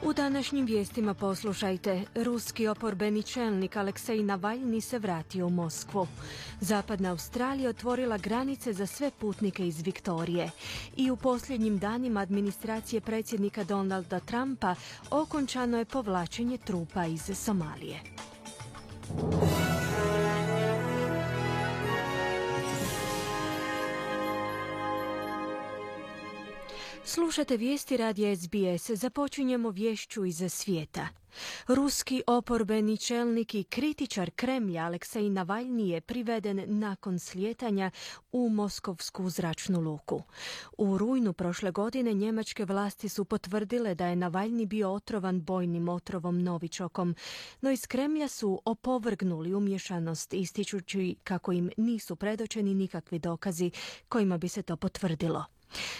U današnjim vijestima poslušajte, ruski oporbeni čelnik Aleksej Navalni se vratio u Moskvu. Zapadna Australija otvorila granice za sve putnike iz Viktorije. I u posljednjim danima administracije predsjednika Donalda Trumpa okončano je povlačenje trupa iz Somalije. Slušate vijesti radija SBS. Započinjemo vješću iz svijeta. Ruski oporbeni čelnik i kritičar Kremlja Aleksej Navalni je priveden nakon slijetanja u moskovsku zračnu luku. U rujnu prošle godine njemačke vlasti su potvrdile da je Navalni bio otrovan bojnim otrovom novičokom, no iz Kremlja su opovrgnuli umješanost ističući kako im nisu predočeni nikakvi dokazi kojima bi se to potvrdilo.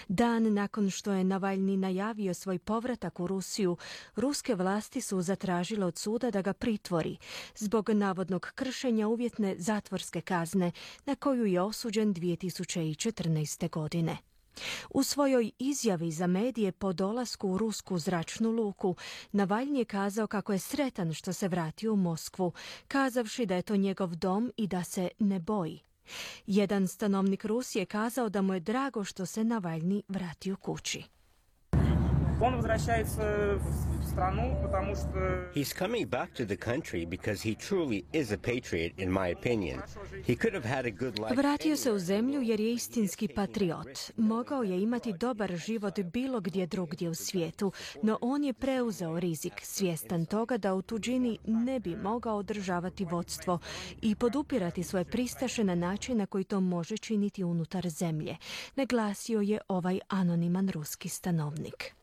Dan nakon što je Navalni najavio svoj povratak u Rusiju, ruske vlasti su zatražile od suda da ga pritvori zbog navodnog kršenja uvjetne zatvorske kazne na koju je osuđen 2014. godine. U svojoj izjavi za medije po dolasku u rusku zračnu luku, Navalni je kazao kako je sretan što se vratio u Moskvu, kazavši da je to njegov dom i da se ne boji. Jedan stanovnik Rusije je kazao da mu je drago što se Navalni vratio kući. He's coming back to the country because he truly is a patriot, in my opinion. He could have had a good life. Vratio se u zemlju jer je istinski patriot. Mogao je imati dobar život bilo gdje drugdje u svijetu, no on je preuzeo rizik, svjestan toga da u tuđini ne bi mogao održavati vodstvo i podupirati svoje pristaše na način na koji to može činiti unutar zemlje, naglasio je ovaj anoniman ruski stanovnik.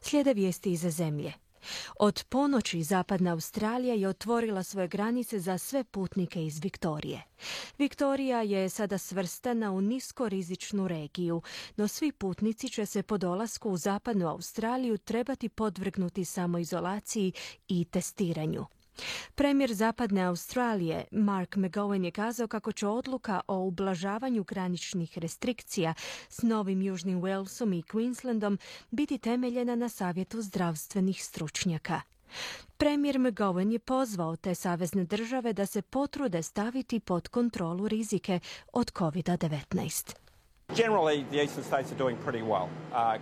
Slijede vijesti iz zemlje. Od ponoći Zapadna Australija je otvorila svoje granice za sve putnike iz Viktorije. Viktorija je sada svrstana u niskorizičnu regiju, no svi putnici će se po dolasku u Zapadnu Australiju trebati podvrgnuti samoizolaciji i testiranju. Premijer Zapadne Australije Mark McGowan je kazao kako će odluka o ublažavanju graničnih restrikcija s Novim Južnim Walesom i Queenslandom biti temeljena na savjetu zdravstvenih stručnjaka. Premijer McGowan je pozvao te savezne države da se potrude staviti pod kontrolu rizike od COVID-19. Generally, the eastern states are doing pretty well.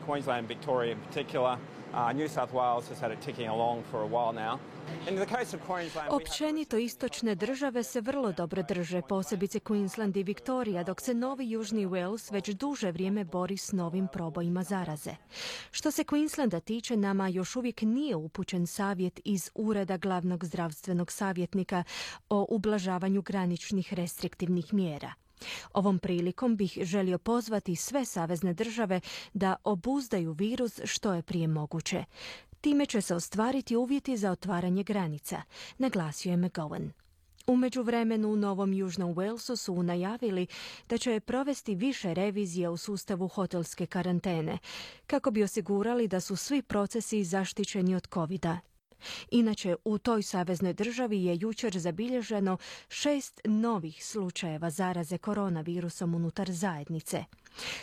Queensland and Victoria in particular. New South Wales has had it ticking along for a while now. Općenito istočne države se vrlo dobro drže, posebice Queensland i Victoria, dok se Novi Južni Wales već duže vrijeme bori s novim probojima zaraze. Što se Queenslanda tiče, nama još uvijek nije upućen savjet iz Ureda glavnog zdravstvenog savjetnika o ublažavanju graničnih restriktivnih mjera. Ovom prilikom bih želio pozvati sve savezne države da obuzdaju virus što je prije moguće. Time će se ostvariti uvjeti za otvaranje granica, naglasio je McGowan. U međuvremenu u Novom Južnom Walesu su najavili da će provesti više revizija u sustavu hotelske karantene, kako bi osigurali da su svi procesi zaštićeni od COVID-a. Inače, u toj saveznoj državi je jučer zabilježeno 6 novih slučajeva zaraze koronavirusom unutar zajednice.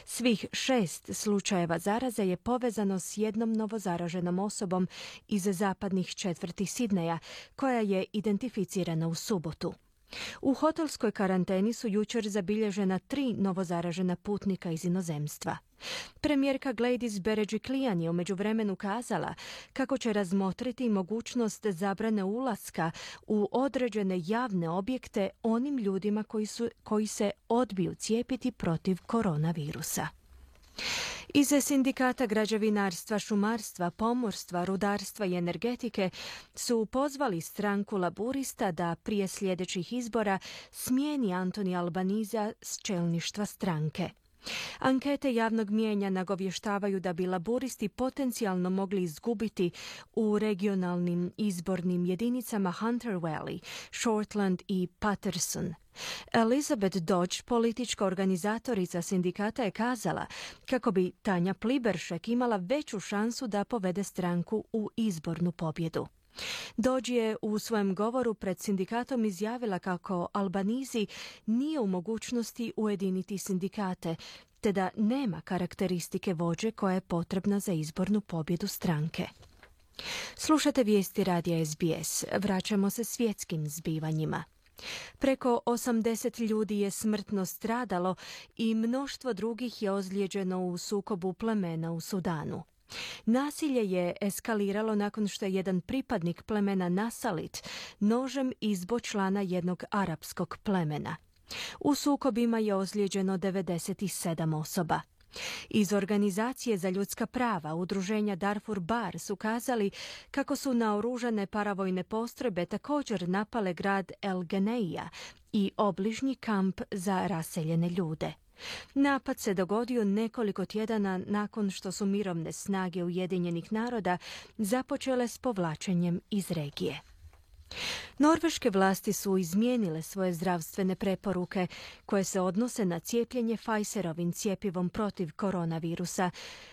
Svih 6 slučajeva zaraze je povezano s jednom novozaraženom osobom iz zapadnih četvrti Sidneja, koja je identificirana u subotu. U hotelskoj karanteni su jučer zabilježena 3 novozaražena putnika iz inozemstva. Premijerka Gladys Berejiklian je u međuvremenu kazala kako će razmotriti mogućnost zabrane ulaska u određene javne objekte onim ljudima koji se odbiju cijepiti protiv koronavirusa. Iz sindikata građevinarstva, šumarstva, pomorstva, rudarstva i energetike su pozvali stranku Laburista da prije sljedećih izbora smijeni Anthony Albanese s čelništva stranke. Ankete javnog mijenja nagovještavaju da bi laburisti potencijalno mogli izgubiti u regionalnim izbornim jedinicama Hunter Valley, Shortland i Patterson. Elizabeth Dodge, politička organizatorica sindikata, je kazala kako bi Tanja Pliberšek imala veću šansu da povede stranku u izbornu pobjedu. Dodge je u svojem govoru pred sindikatom izjavila kako Albanese nije u mogućnosti ujediniti sindikate, te da nema karakteristike vođe koja je potrebna za izbornu pobjedu stranke. Slušate vijesti radija SBS. Vraćamo se svjetskim zbivanjima. Preko 80 ljudi je smrtno stradalo i mnoštvo drugih je ozlijeđeno u sukobu plemena u Sudanu. Nasilje je eskaliralo nakon što je jedan pripadnik plemena Nasalit nožem izbo člana jednog arapskog plemena. U sukobima je ozlijeđeno 97 osoba. Iz Organizacije za ljudska prava udruženja Darfur Bar su kazali kako su naoružane paravojne postrojbe također napale grad El Geneija i obližnji kamp za raseljene ljude. Napad se dogodio nekoliko tjedana nakon što su mirovne snage Ujedinjenih naroda započele s povlačenjem iz regije. Norveške vlasti su izmijenile svoje zdravstvene preporuke koje se odnose na cijepljenje Pfizerovim cjepivom protiv koronavirusa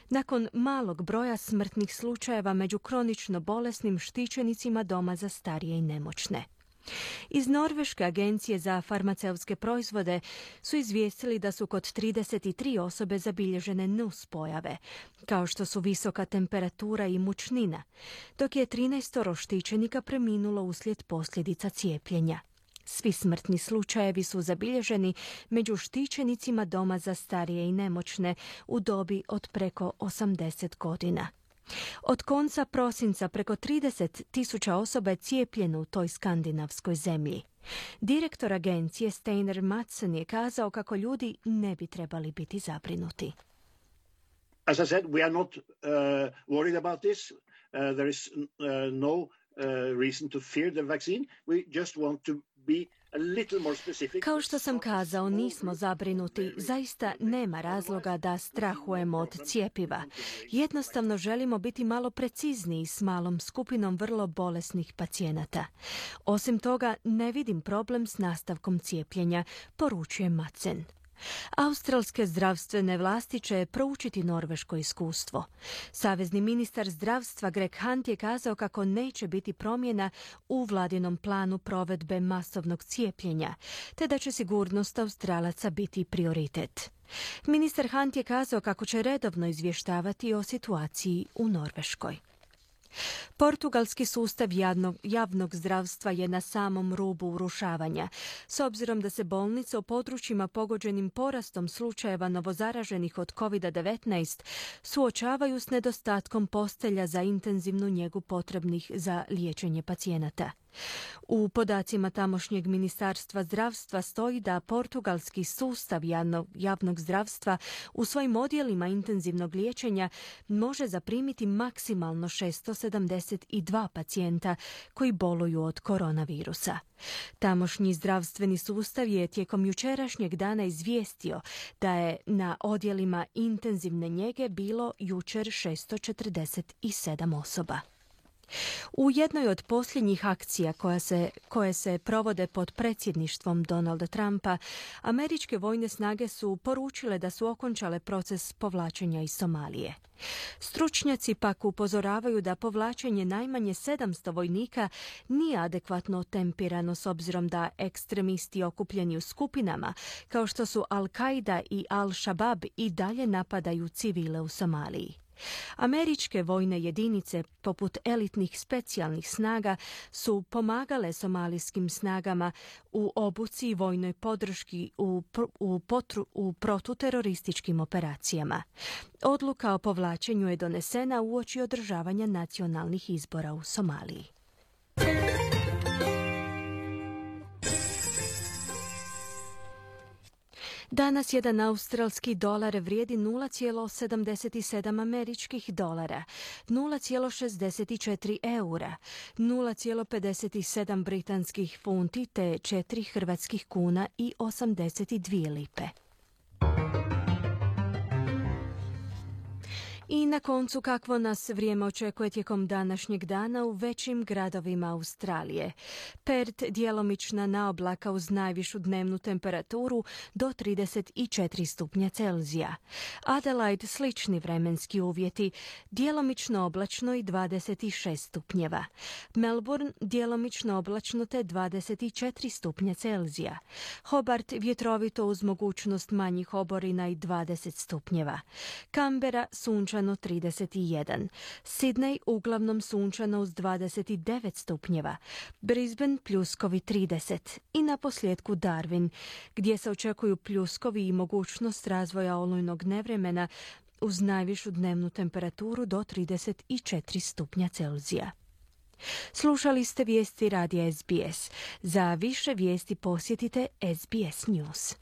nakon malog broja smrtnih slučajeva među kronično bolesnim štićenicima doma za starije i nemoćne. Iz Norveške agencije za farmaceutske proizvode su izvijestili da su kod 33 osobe zabilježene nuspojave, kao što su visoka temperatura i mučnina, dok je 13 štićenika preminulo uslijed posljedica cijepljenja. Svi smrtni slučajevi su zabilježeni među štićenicima doma za starije i nemoćne u dobi od preko 80 godina. Od konca prosinca preko 30.000 osoba je cijepljeno u toj skandinavskoj zemlji. Direktor agencije Steinar Mattsson je kazao kako ljudi ne bi trebali biti zabrinuti. As I said, we are not worried about this. There is no reason to fear the vaccine. We just want to be a little more specific. Kao što sam kazao, nismo zabrinuti. Zaista nema razloga da strahujemo od cjepiva. Jednostavno želimo biti malo precizniji s malom skupinom vrlo bolesnih pacijenata. Osim toga, ne vidim problem s nastavkom cijepljenja, poručuje Madsen. Australske zdravstvene vlasti će proučiti norveško iskustvo. Savezni ministar zdravstva Greg Hunt je kazao kako neće biti promjena u vladinom planu provedbe masovnog cijepljenja, te da će sigurnost Australaca biti prioritet. Ministar Hunt je kazao kako će redovno izvještavati o situaciji u Norveškoj. Portugalski sustav javnog zdravstva je na samom rubu urušavanja, s obzirom da se bolnice u područjima pogođenim porastom slučajeva novozaraženih od COVID-19 suočavaju s nedostatkom postelja za intenzivnu njegu potrebnih za liječenje pacijenata. U podacima tamošnjeg ministarstva zdravstva stoji da portugalski sustav javnog zdravstva u svojim odjelima intenzivnog liječenja može zaprimiti maksimalno 672 pacijenta koji boluju od koronavirusa. Tamošnji zdravstveni sustav je tijekom jučerašnjeg dana izvijestio da je na odjelima intenzivne njege bilo jučer 647 osoba. U jednoj od posljednjih akcija koje se provode pod predsjedništvom Donalda Trumpa, američke vojne snage su poručile da su okončale proces povlačenja iz Somalije. Stručnjaci pak upozoravaju da povlačenje najmanje 700 vojnika nije adekvatno tempirano s obzirom da ekstremisti okupljeni u skupinama, kao što su Al-Qaida i Al-Shabaab, i dalje napadaju civile u Somaliji. Američke vojne jedinice, poput elitnih specijalnih snaga, su pomagale somalijskim snagama u obuci i vojnoj podrški u protuterorističkim operacijama. Odluka o povlačenju je donesena uoči održavanja nacionalnih izbora u Somaliji. Danas jedan australski dolar vrijedi 0,77 američkih dolara, 0,64 eura, 0,57 britanskih funti te 4 hrvatskih kuna i 82 lipe. I na koncu, kakvo nas vrijeme očekuje tijekom današnjeg dana u većim gradovima Australije. Perth djelomična naoblaka uz najvišu dnevnu temperaturu do 34 stupnja Celzija. Adelaide slični vremenski uvjeti, djelomično oblačno i 26 stupnjeva. Melbourne djelomično oblačno te 24 stupnja Celzija. Hobart vjetrovito uz mogućnost manjih oborina i 20 stupnjeva. Canberra sunčan sunčano 31, Sydney uglavnom sunčano uz 29 stupnjeva, Brisbane pljuskovi 30 i na posljedku Darwin, gdje se očekuju pljuskovi i mogućnost razvoja olujnog nevremena uz najvišu dnevnu temperaturu do 34 stupnja Celzija. Slušali ste vijesti radija SBS. Za više vijesti posjetite SBS News.